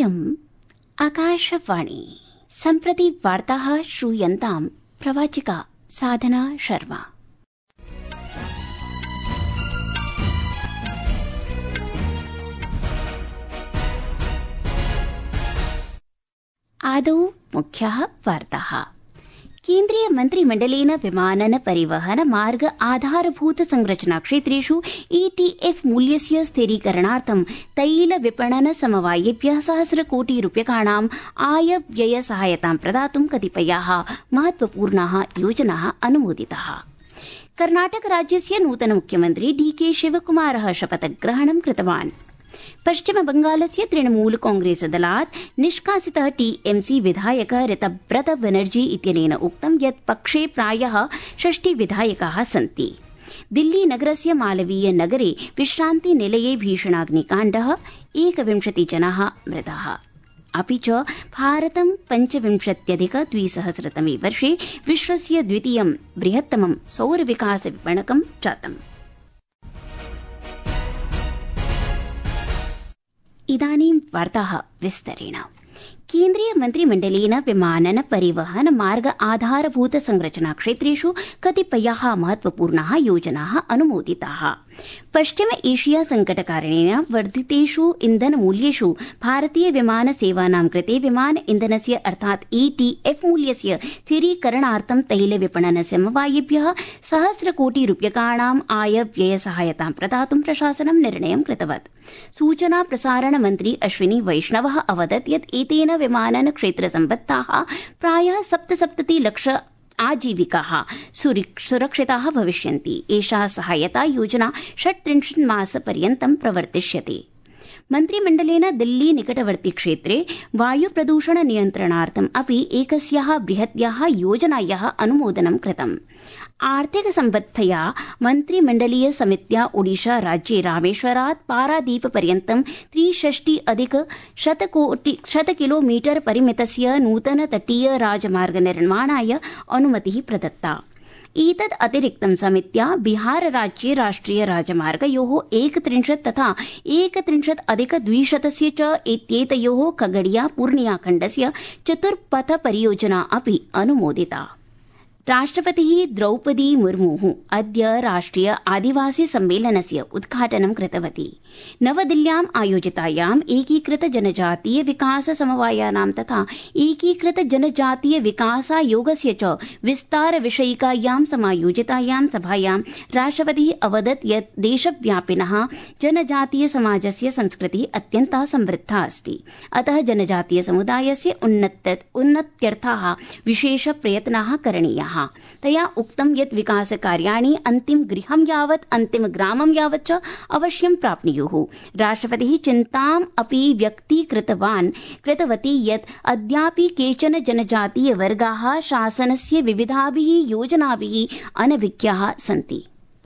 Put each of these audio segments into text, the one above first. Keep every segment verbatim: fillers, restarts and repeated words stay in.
इयम् आकाशवाणी। सम्प्रति वार्ताः श्रूयन्ताम् प्रवाचिका साधना शर्मा। आदौ मुख्याः वार्ताः। केन्द्रीय मन्त्रिमण्डलेन विमानन परिवहन मार्ग आधारभूत संरचना क्षेत्रेषु ईटीएफ मूल्यस्य स्थिरीकरणार्थं तैल विपणन समवायेभ्यः सहस्र कोटि रूप्यकाणाम् आय व्यय सहायतां प्रदातुं कतिपयाः महत्वपूर्णाः योजनाः अनुमोदिताः। कर्णाटक राज्यस्य नूतन मुख्यमन्त्री डीके शिवकुमारः शपथग्रहणं कृतवान्। पश्चिम बंगालस्य तृणमूल कांग्रेस दलात् निष्कासितः टीएमसी विधायक ऋतव्रत बनर्जी इत्यनेन उक्तं यत् पक्षे प्रायः षष्टि विधायकाः सन्ति। दिल्ली नगरस्य मालवीय नगरे विश्रान्ति निलये भीषणाग्निकाण्डः एकविंशति जनाः मृताः। अपि च भारतं पञ्चविंशत्यधिक द्विसहस्रतमे वर्षे विश्वस्य द्वितीयं बृहत्तमं सौर विकास विपणकं जातम्। इदानीं वार्ताः विस्तरेण। केन्द्रीय मन्त्रिमण्डलेन विमानन परिवहन मार्ग आधारभूत संरचना क्षेत्रेषु कतिपयाः महत्वपूर्णाः योजनाः अनुमोदिताः। पश्चिम एशिया संकटकारणेन वर्धितेषु इन्धन मूल्येषु भारतीय विमान सेवानां कृते विमान इन्धनस्य अर्थात् ईटीएफ मूल्यस्य स्थिरीकरणार्थं तैल विपणन समवायेभ्यः सहस्र कोटि रूप्यकाणाम् आय व्यय सहायतां प्रदातुं प्रशासनं निर्णयं कृतवत्। सूचना प्रसारण मन्त्री अश्विनी वैष्णवः अवदत् यत् एतेन विमानन क्षेत्र सम्बद्धाः प्रायः सप्तसप्तति लक्ष आजीविकाः सुरक्षिताः भविष्यन्ति। एषा सहायता योजना षट्त्रिंशत् मासपर्यन्तं प्रवर्तिष्यते। मन्त्रिमण्डलेन दिल्ली निकटवर्ति क्षेत्रे वायु प्रदूषण नियन्त्रणार्थम् अपि एकस्याः बृहत्याः योजनायाः अनुमोदनं कृतम्। आर्थिक सम्बद्धया मन्त्रिमण्डलीय समित्या ओडिशा राज्ये रामेश्वरात् पारादीप पर्यन्तं त्रिषष्टि अधिक शत किलोमीटर परिमितस्य नूतन तटीय राजमार्ग निर्माणाय अनुमतिः प्रदत्ता। एतद् अतिरिक्तं समित्या बिहार राज्ये राष्ट्रिय राजमार्गयोः एकत्रिंशत् तथा एकत्रिंशत् अधिक द्विशतस्य च इत्येतयोः खगड़िया पूर्णिया खण्डस्य चतुर्पथ परियोजना अपि अनुमोदिता। राष्ट्रपतिः द्रौपदी मुर्मुः अद्य राष्ट्रिय आदिवासी सम्मेलनस्य उद्घाटनं कृतवती। नवदिल्ल्याम् आयोजितायाम् एकीकृत जनजातीय विकास समवायानां तथा एकीकृत जनजातीय विकासायोगस्य च विस्तार विषयिकायां समायोजितायां सभायां राष्ट्रपतिः अवदत् यत् देशव्यापिनः जनजातीय समाजस्य संस्कृतिः अत्यन्ता समृद्धा अस्ति। अतः जनजातीय समुदायस्य उन्नत्यर्थाः विशेष प्रयत्नाः करणीयाः। तया उक्तं यत् विकासकार्याणि अन्तिम गृहं यावत् अन्तिम ग्रामं यावत् च अवश्यं प्राप्नुयुः। राष्ट्रपतिः चिन्ताम् अपि व्यक्तीकृतवान् कृतवती यत् अद्यापि केचन जनजातीय वर्गाः शासनस्य विविधाभिः योजनाभिः अनभिज्ञाः सन्ति।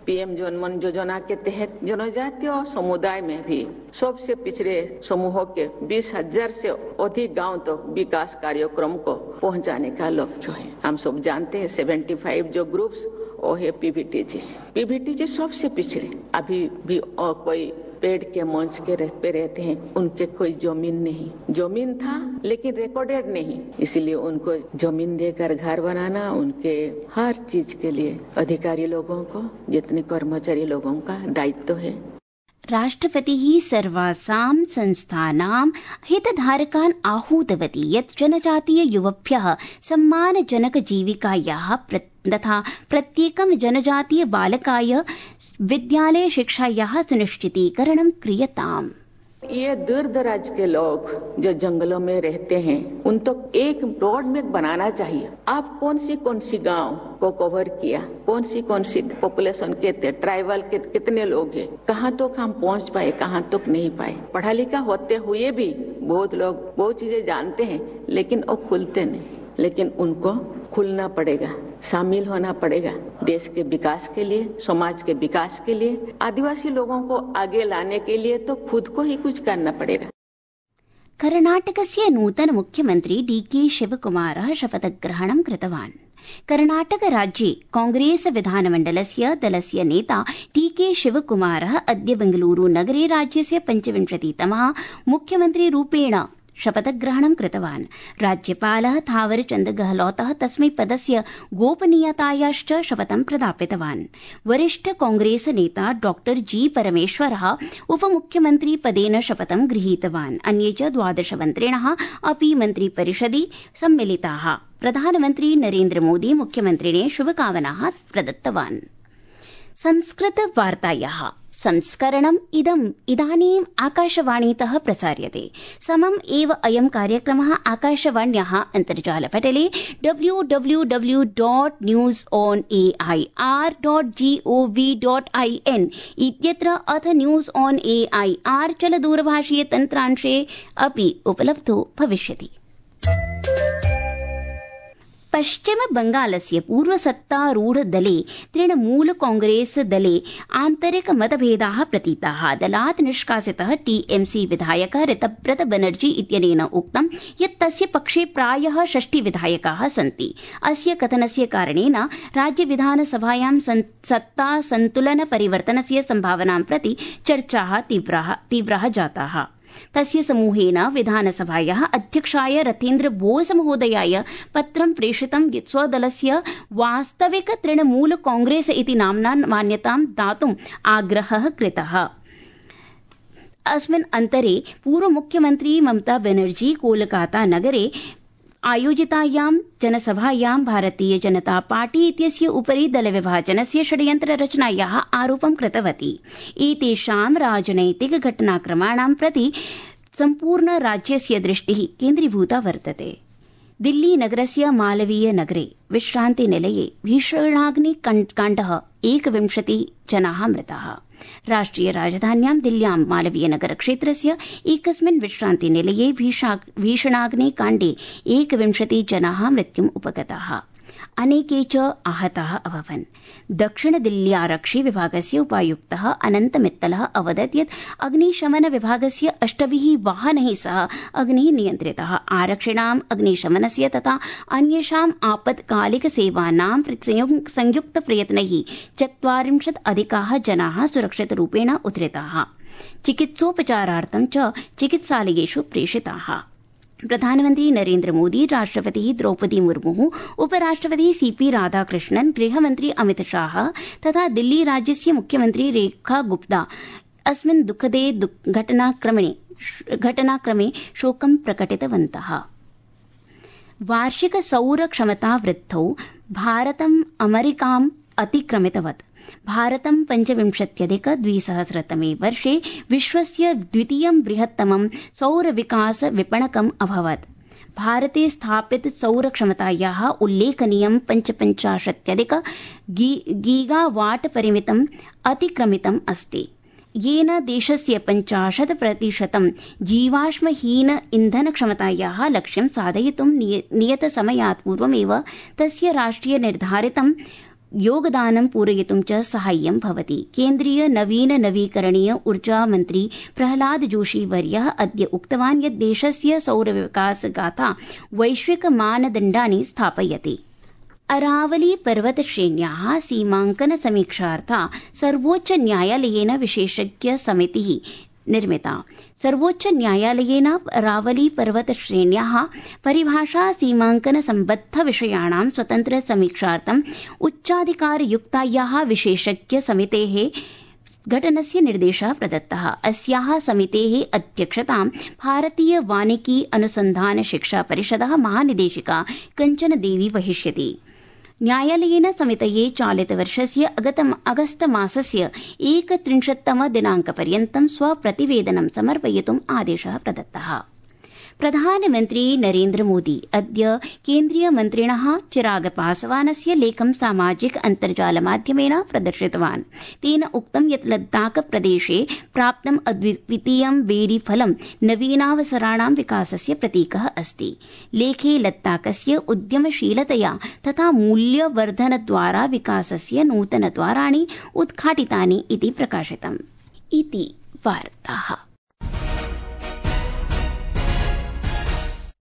पीएम जनमन योजना के तहत जनजातीय समुदाय में भी सबसे पिछड़े समूहों के बीस हजार से अधिक गांव तो विकास कार्यक्रम को पहुंचाने का लक्ष्य है। हम सब जानते हैं पचहत्तर जो ग्रुप्स वो है पीवीटीजी। पीवीटीजी सबसे पिछड़े अभी भी और कोई पेड़ के मंच के पे रहते हैं, उनके कोई जमीन नहीं, जमीन था लेकिन रिकॉर्डेड नहीं, इसलिए उनको जमीन देकर घर बनाना उनके हर चीज के लिए अधिकारी लोगों को जितने कर्मचारी लोगों का दायित्व है। राष्ट्रपतिः सर्वासां संस्थानां हितधारकान् आहूतवती यत् जनजातीय युवभ्यः सम्मानजनक जीविकायाः तथा प्रत्येकं जनजातीय बालकाय विद्यालय शिक्षायाः सुनिश्चितीकरणं क्रियताम्। ये दूर दराज के लोग जो जंगलों में रहते हैं उन तो एक रोड में बनाना चाहिए। आप कौन सी कौन सी गांव को कवर किया, कौन सी कौन सी पॉपुलेशन के थे, ट्राइबल के कितने लोग हैं, कहाँ तक हम पहुँच पाए, कहाँ तक नहीं पाए। पढ़ा लिखा होते हुए भी बहुत लोग बहुत चीजें जानते हैं लेकिन वो खुलते नहीं, लेकिन उनको खुलना पड़ेगा, शामिल होना पड़ेगा देश के विकास के लिए, समाज के विकास के लिए, आदिवासी लोगों को आगे लाने के लिए तो खुद को ही कुछ करना पड़ेगा। कर्णाटकस्य नूतन मुख्यमन्त्री डीके शिवकुमारः शपथग्रहणं कृतवान्। कर्णाटक राज्ये कांग्रेस विधानमण्डलस्य दलस्य नेता डीके शिवकुमारः अद्य बेंगलुरू नगरे राज्यस्य पञ्चविंशतितमः मुख्यमन्त्रीरूपेण शपथग्रहणं कृतवान्। राज्यपालः थावरचन्द गहलोतः तस्मै पदस्य गोपनीयतायाश्च शपथं प्रदापितवान्। वरिष्ठ कांग्रेस नेता डॉक्टर जी परमेश्वरः उपमुख्यमन्त्री पदेन शपथं गृहीतवान्। अन्ये च द्वादश मन्त्रिणः अपि मन्त्रिपरिषदि सम्मिलिताः। प्रधानमन्त्री नरेन्द्र मोदी मुख्यमन्त्रिणे शुभकामनाः प्रदत्तवान्। संस्कृत वार्तायाः संस्करणम् इदम् इदानीम् आकाशवाणीतः प्रसार्यते। समम् एव अयं कार्यक्रमः आकाशवाण्याः अन्तर्जालपटले W W W dot news on A I R dot G O V dot I N इत्यत्र अथ news on A I R चलदूरभाषीय तन्त्रांशे अपि उपलब्धो भविष्यति। पश्चिम बंगालस्य पूर्वसत्तारूढ़ दले तृणमूल कांग्रेस दले आन्तरिक मतभेदाः प्रतीताः। दलात् निष्कासितः टीएमसी विधायकः ऋतव्रत बनर्जी इत्यनेन उक्तं यत् तस्य पक्षे प्रायः षष्टि विधायकाः सन्ति। अस्य कथनस्य कारणेन राज्य विधानसभायां सत्ता संतुलन परिवर्तनस्य सम्भावनां प्रति चर्चाः तीव्राः तीव्राः जाताः। तस्य समूहेन विधानसभायाः अध्यक्षाय रथेन्द्र बोस महोदयाय पत्रं प्रेषितं यत् स्वदलस्य वास्तविक तृणमूल कांग्रेस इति नाम्ना मान्यतां दातुम् आग्रहः कृतः। अस्मिन् अन्तरे पूर्वमुख्यमन्त्री ममता बनर्जी कोलकाता नगरे आयोजितायां जनसभायां भारतीय जनता पार्टी इत्यस्य उपरि दलविभाजनस्य षड्यन्त्ररचनायाः आरोपं कृतवती। एतेषां राजनैतिक घटनाक्रमाणां प्रति सम्पूर्ण राज्यस्य दृष्टिः केन्द्रीभूता वर्तते। दिल्ली नगरस्य मालवीय नगरे विश्रान्तिनिलये भीषणाग्निकाण्डः एकविंशतिः जनाः मृताः। राष्ट्रिय राजधान्यां दिल्ल्यां मालवीय नगर क्षेत्रस्य एकस्मिन् विश्रान्तिनिलये भीषणाग्निकाण्डे एकविंशतिः जनाः मृत्युम् उपगताः। अनेके च आहताः अभवन्। दक्षिण दिल्ल्यारक्षि विभागस्य उपायुक्तः अनन्त मित्तलः अवदत् यत् अग्निशमन विभागस्य अष्टभिः वाहनैः सह अग्निः नियन्त्रितः। आरक्षिणाम् अग्निशमनस्य तथा अन्येषाम् आपत्कालिक सेवानां संयुक्त प्रयत्नैः चत्वारिंशत् अधिकाः जनाः सुरक्षितरूपेण उद्धृताः। चिकित्सोपचारार्थं च चिकित्सालयेषु प्रेषिताः। प्रधानमन्त्री नरेन्द्र मोदी, राष्ट्रपतिः द्रौपदी मुर्मुः, उपराष्ट्रपतिः सीपी राधाकृष्णन्, गृहमन्त्री अमित शाह तथा दिल्ली राज्यस्य मुख्यमन्त्री रेखा गुप्ता अस्मिन् दुःखदे घटनाक्रमे घटनाक्रमे शोकं प्रकटितवन्तः। वार्षिक सौर क्षमता वृद्धौ भारतम् अमेरिकाम् अतिक्रमितवत्। भारतं पञ्चविंशत्यधिक द्विसहस्रतमे वर्षे विश्वस्य द्वितीयं बृहत्तमं सौर विकास विपणकम् अभवत्। भारते स्थापित सौर क्षमतायाः उल्लेखनीयं पञ्चपञ्चाशत्यधिक गीगावाट परिमितम् अतिक्रमितम् अस्ति, येन देशस्य पञ्चाशत् प्रतिशतं जीवाश्महीन इन्धन क्षमतायाः लक्ष्यं साधयितुं नियतसमयात् पूर्वमेव तस्य राष्ट्रिय निर्धारितं योगदानं पूरयितुं च साहाय्यं भवति। केन्द्रीय नवीन नवीकरणीय ऊर्जा मन्त्री प्रहलाद जोशी वर्यः अद्य उक्तवान् यत् देशस्य सौर विकास गाथा वैश्विक मानदण्डानि स्थापयति। अरावली पर्वत श्रेण्याः सीमाङ्कन समीक्षार्था सर्वोच्च न्यायालयेन विशेषज्ञ समितिः निर्मिता। सर्वोच्च न्यायालयेन अरावली पर्वत श्रेण्याः परिभाषा सीमाङ्कन सम्बद्ध विषयाणां स्वतन्त्र समीक्षार्थम् उच्चाधिकारयुक्तायाः विशेषज्ञ समितेः घटनस्य निर्देशः प्रदत्तः। अस्याः समितेः अध्यक्षतां भारतीय वानिकी अनुसन्धान शिक्षा परिषदः महानिदेशिका कञ्चन देवी वहिष्यति। न्यायालयेन समितये चालितवर्षस्य अगस्त मासस्य एकत्रिंशत्तम दिनाङ्कपर्यन्तं स्वप्रतिवेदनं समर्पयितुम् आदेशः प्रदत्तः। प्रधानमन्त्री नरेन्द्र मोदी अद्य केन्द्रीयमन्त्रिणः चिराग पासवानस्य लेखं सामाजिक अन्तर्जालमाध्यमेन प्रदर्शितवान्। तेन उक्तं यत् लद्दाख प्रदेशे प्राप्तम् अद्वितीयं बेरीफलं नवीनावसराणां विकासस्य प्रतीकः अस्ति। लेखे लद्दाखस्य उद्यमशीलतया तथा मूल्यवर्धनद्वारा विकासस्य नूतनद्वाराणि उद्घाटितानि इति प्रकाशितम्। इति वार्ताः।